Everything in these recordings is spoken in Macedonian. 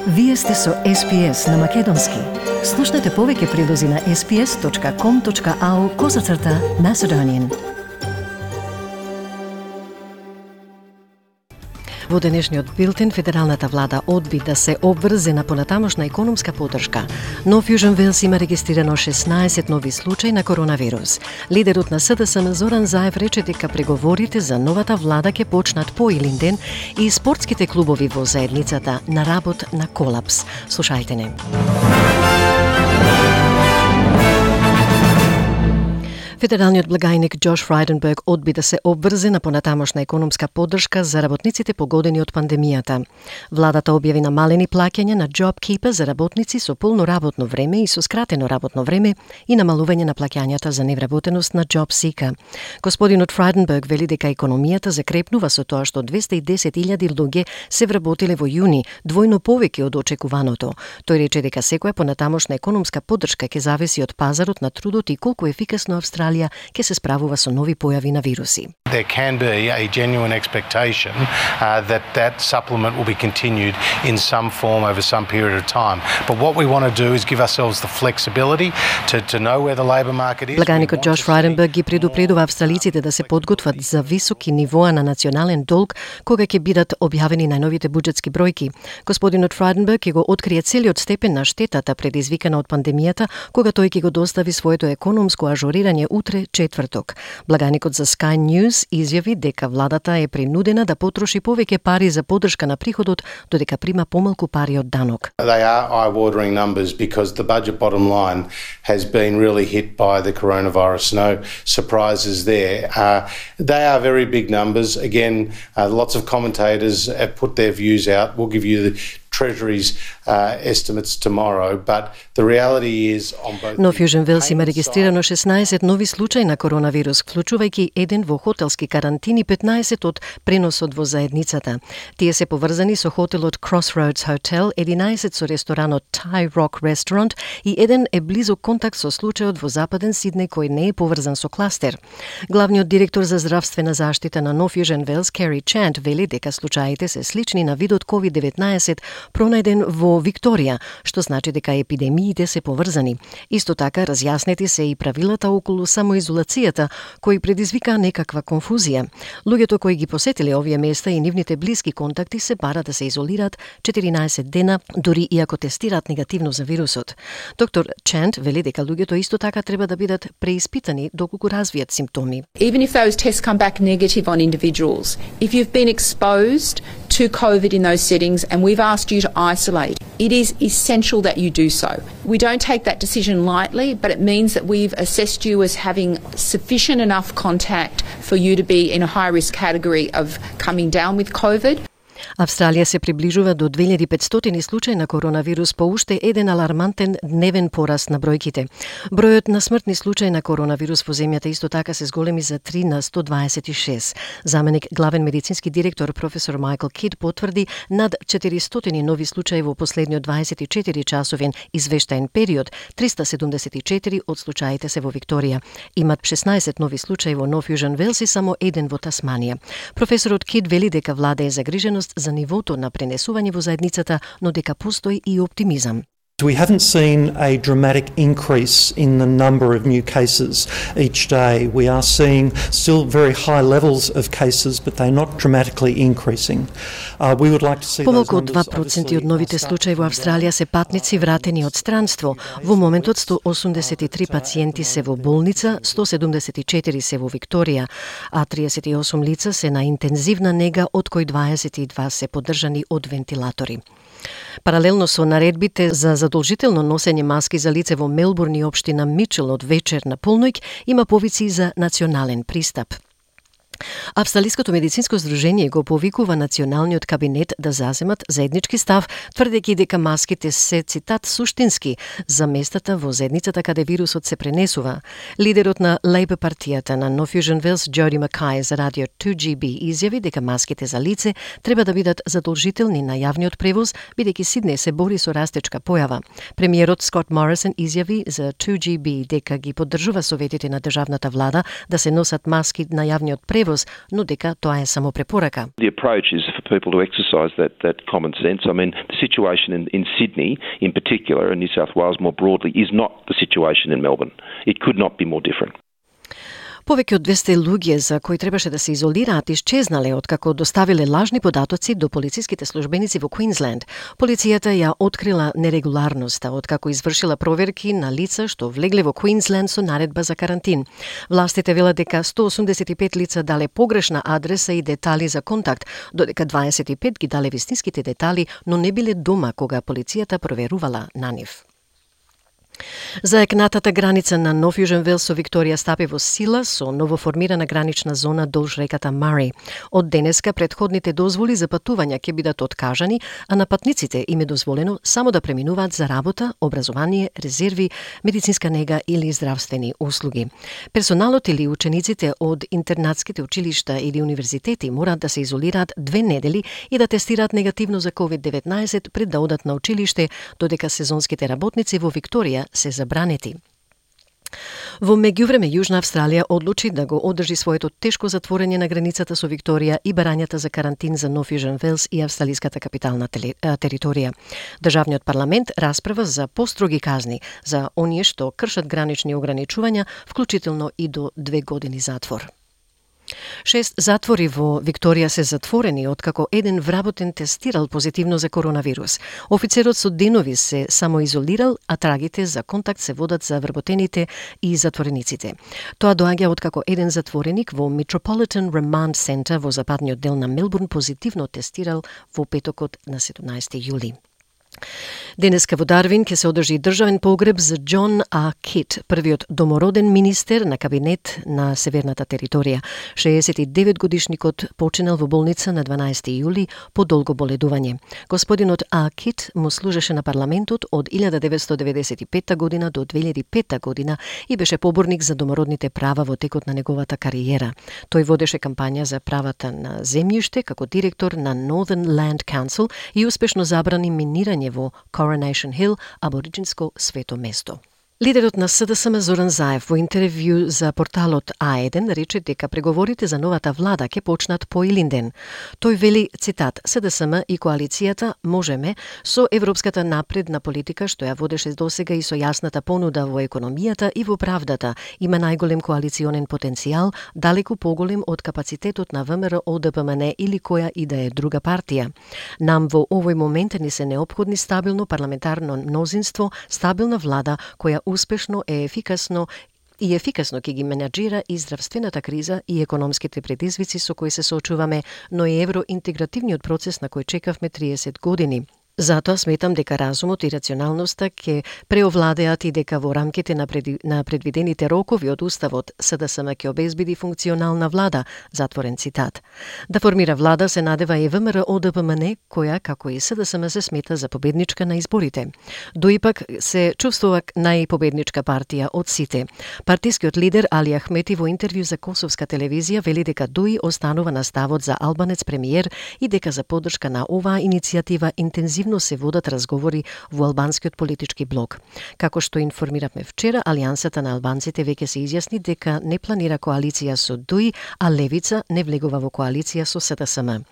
Вие сте со SPS на Македонски. Слушнете повеќе прилози на sps.com.au/Macedonian. Во денешниот билтен, федералната влада одби да се обврзе на понатамошна економска поддршка. Но Fusion Wales има регистрирано 16 нови случаи на коронавирус. Лидерот на СДСМ Зоран Заев рече дека преговорите за новата влада ќе почнат по илин ден и спортските клубови во заедницата на работ на колапс. Слушајте не. Федералниот благајник Джош Фрайденберг одби да се обврзе на понатамошна економска поддршка за работниците погодени од пандемијата. Владата објави намалени плаќања на JobKeeper за работници со полно работно време и со скратено работно време и намалување на плаќањата за невработеност на JobSeeker. Господинот Фрайденберг вели дека економијата закрепнува со тоа што 210.000 луѓе се вработиле во јуни, двојно повеќе од очекуваното. Тој рече дека секоја понатамошна економска поддршка ќе зависи од пазарот на трудот и колку ефикасно Австралија ќе се справува со нови појави на вируси. There can be a genuine expectation that supplement will be continued in some form over some period of time. But what we want to do is give ourselves the flexibility to know where the labour market is. Благајникот Джош Фрайденберг ги предупредува австралиците да се подготват за високи нивоа на национален долг кога ќе бидат објавени најновите буџетски бројки. Господинот Фрайденберг ќе го открие целиот степен на штетата предизвикана од пандемијата кога тој ќе го достави своето економско ажурирање утре четврток. Благајникот за Sky News изјави дека владата е принудена да потроши повеќе пари за поддршка на приходот, додека прима помалку пари од данок. They are eye-watering numbers because the budget bottom line has been really hit by the coronavirus. No surprises there. They are very big numbers. Again, lots of commentators have put their views out. We'll give you the Treasury's estimates tomorrow, but the reality is on both. Но Fusion Wales има регистрирано 16 нови случаи на коронавирус, вклучувајќи еден во хотелски карантини, 15 од преносот во заедницата. Тие се поврзани со хотелот Crossroads Hotel, 11 со ресторанот Thai Rock Restaurant и еден е близок контакт со случајот во Западен Сиднеј кој не е поврзан со кластер. Главниот директор за здравствена заштита на Fusion Wales, Kerry Chant, вели дека случаите се слични на видот COVID-19 пронајден во Викторија, што значи дека епидемиите се поврзани. Исто така, разјаснети се и правилата околу самоизолацијата, кои предизвика некаква конфузија. Луѓето кои ги посетиле овие места и нивните блиски контакти се бара да се изолираат 14 дена, дури и ако тестираат негативно за вирусот. Доктор Чант вели дека луѓето исто така треба да бидат преиспитани доколку развијат симптоми. Even if those tests come back negative on individuals, if you've been exposed to COVID in those settings and we've asked you to isolate, it is essential that you do so. We don't take that decision lightly, but it means that we've assessed you as having sufficient enough contact for you to be in a high-risk category of coming down with COVID. Австралија се приближува до 2500 случаи на коронавирус по уште еден алармантен дневен пораст на бројките. Бројот на смртни случаи на коронавирус во земјата исто така се зголеми за 3 на 126. Заменик главен медицински директор професор Майкл Кид потврди над 400 нови случаи во последниот 24 часовен извештаен период. 374 од случаите се во Викторија. Имат 16 нови случаи во Fusion Wales и само еден во Тасманија. Професорот Кид вели дека влада е загриженост за нивото на пренесување во заедницата, но дека постои и оптимизам. We haven't seen a dramatic increase in the number of new cases each day. We are seeing still very high levels of cases, but they're not dramatically increasing. We would like to see Помалку од 2% од новите случаи во Австралија се патници вратени од странство. Во моментот 183 пациенти се во болница, 174 се во Викторија, а 38 лица се на интензивна нега, од кои 22 се поддржани од вентилатори. Паралелно со наредбите за задолжително носење маски за лице во Мелбурн и општина Мичел од вечер на полноќ, има повици за национален пристап. Австралиското медицинско здружение го повикува националниот кабинет да заземат заеднички став, тврдејќи дека маските се, цитат, суштински за местата во заедницата каде вирусот се пренесува. Лидерот на Лейбор партијата на Fusion Wales, Джоди Макај, за радио 2GB изјави дека маските за лице треба да бидат задолжителни на јавниот превоз, бидејќи Сиднеј се бори со растечка појава. Премиерот Скот Морисон изјави за 2GB дека ги поддржува советите на државната влада да се носат маски на јавниот превоз коронавирус, но дека тоа е само препорака. The approach is for people to exercise that common sense. I mean, the situation in Sydney in particular and New South Wales more broadly is not the situation in Melbourne. It could not be more different. Повеќе од 200 луѓе за кои требаше да се изолираат исчезнале откако доставиле лажни податоци до полициските службеници во Квинсленд. Полицијата ја открила нерегуларноста откако извршила проверки на лица што влегле во Квинсленд со наредба за карантин. Властите велат дека 185 лица дале погрешна адреса и детали за контакт, додека 25 ги дале вистинските детали, но не биле дома кога полицијата проверувала на нив. Заекнатата граница на Нов Јужен Велс со Викторија стапи во сила со новоформирана гранична зона долж реката Мари. Од денеска претходните дозволи за патување ќе бидат откажани, а на патниците им е дозволено само да преминуваат за работа, образование, резерви, медицинска нега или здравствени услуги. Персоналот или учениците од интернатските училишта или универзитети мораат да се изолираат 2 недели и да тестираат негативно за COVID-19 пред да одат на училиште, додека сезонските работници во Викторија се забранети. Во меѓувреме Јужна Австралија одлучи да го одржи своето тешко затворање на границата со Викторија и барањата за карантин за Нов Јужен Велс и австралиската капитална територија. Државниот парламент расправа за построги казни за оние што кршат гранични ограничувања, вклучително и до 2 години затвор. 6 затвори во Викторија се затворени откако еден вработен тестирал позитивно за коронавирус. Офицерот со денови се самоизолирал, а трагите за контакт се водат за вработените и затворениците. Тоа доаѓа откако еден затвореник во Metropolitan Remand Center во западниот дел на Мелбурн позитивно тестирал во петокот на 17 јули. Денеска во Дарвин ќе се одржи државен погреб за Џон А. Кит, првиот домороден министер на кабинет на Северната територија. 69 годишникот починал во болница на 12 јули по долго боледување. Господинот А. Кит му служеше на парламентот од 1995 година до 2005 година и беше поборник за домородните права во текот на неговата кариера. Тој водеше кампања за правата на земјиште како директор на Northern Land Council и успешно забрани минирање во Coronation Hill, абориджинско свето место. Лидерот на СДСМ Зоран Заев во интервју за порталот А1 рече дека преговорите за новата влада ќе почнат по Илинден. Тој вели, цитат, СДСМ и коалицијата можеме со европската напредна политика што ја водеше досега и со јасната понуда во економијата и во правдата, има најголем коалиционен потенцијал, далеку поголем од капацитетот на ВМРО, ДПМН или која и да е друга партија. Нам во овој момент ни се неопходни стабилно парламентарно мнозинство, стабилна влада која успешно е ефикасно ќе ги менаџира и здравствената криза и економските предизвици со кои се соочуваме, но и евроинтегративниот процес на кој чекавме 30 години. Затоа сметам дека разумот и рационалноста ќе преовладеат и дека во рамките на предвидените рокови од Уставот СДСМ ќе обезбеди функционална влада, затворен цитат. Да формира влада се надева и ВМРО ДПМН, која, како и СДСМ, се смета за победничка на изборите. Доипак се чувствува најпобедничка партија од сите. Партискиот лидер Али Ахмети во интервју за Косовска телевизија вели дека ДУИ останува на ставот за албанец премиер и дека за поддршка на оваа иницијатива интензивно се водат разговори во албанскиот политички блок. Како што информиравме вчера, Алијансата на албанците веќе се изјасни дека не планира коалиција со ДУИ, а Левица не влегува во коалиција со СДСМ.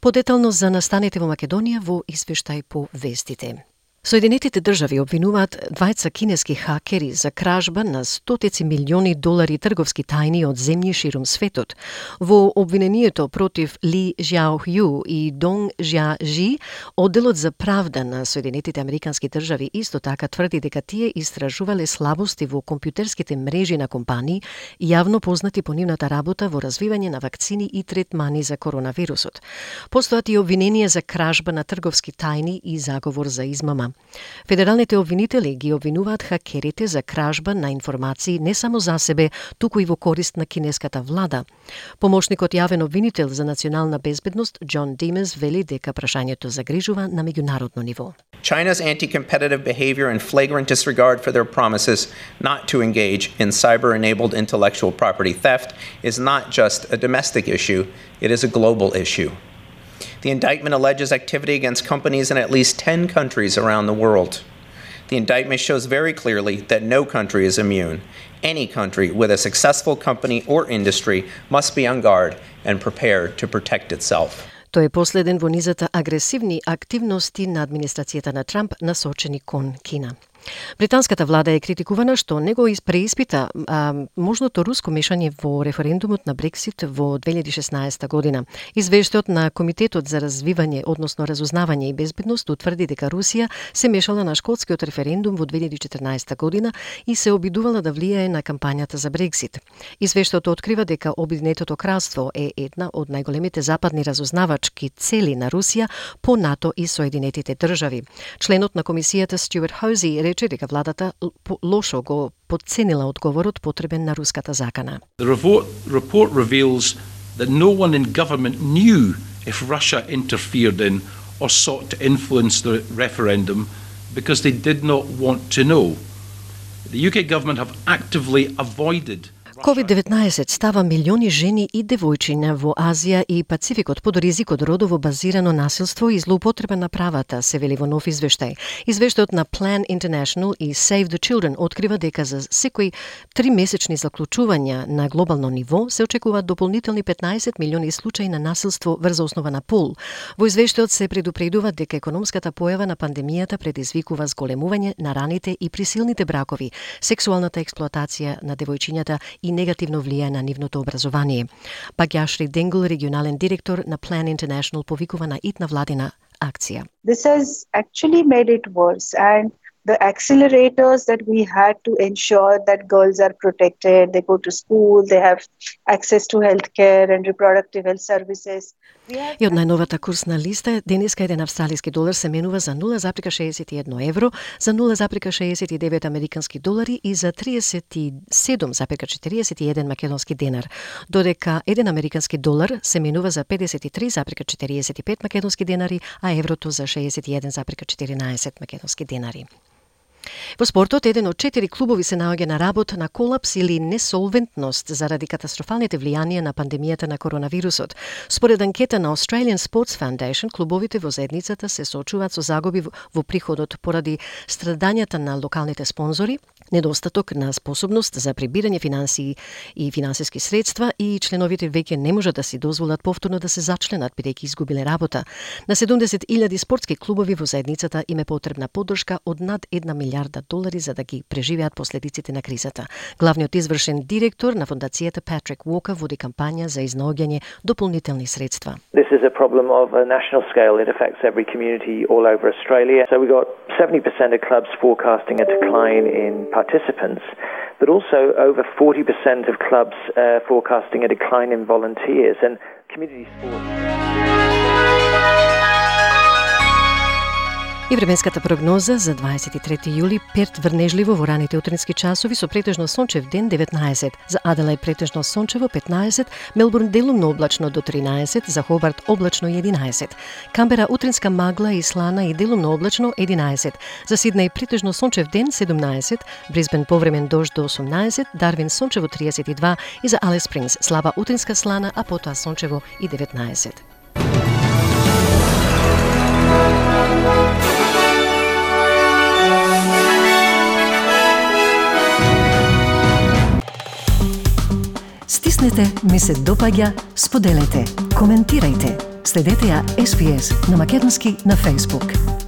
Подетално за настаните во Македонија во извештај по вестите. Соединетите држави обвинуваат двајца кинески хакери за кражба на стотици милиони долари трговски тајни од земји ширум светот. Во обвинението против Ли Жјаохју и Донг Жјажи, одделот за правда на Соединетите американски држави исто така тврди дека тие истражувале слабости во компјутерските мрежи на компании, јавно познати по нивната работа во развивање на вакцини и третмани за коронавирусот. Постојат и обвиненија за кражба на трговски тајни и заговор за измама. Федералните обвинители ги обвинуваат хакерите за кражба на информации не само за себе, туку и во корист на кинеската влада. Помошникот јавен обвинител за национална безбедност Џон Димес вели дека прашањето загрижува на меѓународно ниво. China's anti-competitive behavior and flagrant disregard for their promises not to engage in cyber-enabled intellectual property theft is not just a domestic issue, it is a global issue. The indictment alleges activity against companies in at least 10 countries around the world. The indictment shows very clearly that no country is immune. Any country with a successful company or industry must be on guard and prepared to protect itself. Тој е последен во низата агресивни активности на администрацијата на Трамп насочени кон Кина. Британската влада е критикувана што не го преиспита можното руско мешање во референдумот на Брексит во 2016 година. Извештајот на Комитетот за развивање, односно разузнавање и безбедност утврди дека Русија се мешала на шкотскиот референдум во 2014 година и се обидувала да влијае на кампањата за Брексит. Извештајот открива дека Обединетото кралство е една од најголемите западни разузнавачки цели на Русија по НАТО и Соединетите држави. Членот на комисијата Стюарт Хози рече дека владата лошо го подценила одговорот потребен на руската закана. The report reveals that no one in government knew if Russia interfered in or sought to influence the referendum because they did not want to know. The UK government have actively avoided COVID-19 става милиони жени и девојчиња во Азија и Пацификот под ризик од родово базирано насилство и злоупотреба на правата, се вели во нов извештај. Извештајот на Plan International и Save the Children открива дека за секои 3 месечни заклучувања на глобално ниво се очекуваат дополнителни 15 милиони случаи на насилство врз основа на пол. Во извештајот се предупредува дека економската појава на пандемијата предизвикува зголемување на раните и присилните бракови, сексуалната експлоатација на девојчињата и негативно влијае на нивното образование. Багјашри Денгл, регионален директор на Plan International, повикува на итна владина акција. This has actually made it worse, and the accelerators that we had to ensure that girls are protected, they go to school, they have access to healthcare and reproductive health services. И од најновата курсна листа, денеска еден австралиски долар се менува за 0,61 евро, за 0,69 американски долари и за 37,41 македонски денар, додека еден американски долар се менува за 53,45 македонски денари, а еврото за 61,14 македонски денари. Во спортот, еден од 4 клубови се наоѓа на работ на колапс или несолвентност заради катастрофалните влијанија на пандемијата на коронавирусот. Според анкета на Australian Sports Foundation, клубовите во заедницата се соочуваат со загуби во приходот поради страдањата на локалните спонзори, недостаток на способност за прибирање финансии и финансиски средства и членовите веќе не можат да си дозволат повторно да се зачленат бидејќи изгубиле работа. На 70,000 спортски клубови во заедницата им е потребна поддршка од над 1 милиарда долари за да ги преживеат последиците на кризата. Главниот извршен директор на фондацијата Патрик Уокер води кампања за изнаоѓање дополнителни средства. This is a problem of a national scale. It affects every community all over Australia. So we got 70% of clubs forecasting a decline in participants, but also over 40% of clubs forecasting a decline in volunteers and community sports. И временската прогноза за 23 јули: Перт врнежливо во раните утрински часови со претежно сончев ден 19, за Аделајд претежно сончево 15, Мелбурн делумно облачно до 13, за Хобарт облачно 11, Камбера утринска магла и слана и делумно облачно 11, за Сиднеј претежно сончев ден 17, Брисбен повремен дожд до 18, Дарвин сончево 32 и за Алис Спрингс слаба утринска слана, а потоа сончево и 19. Стиснете, ми се допаѓа, споделете, коментирајте. Следете ја SPS на македонски на Facebook.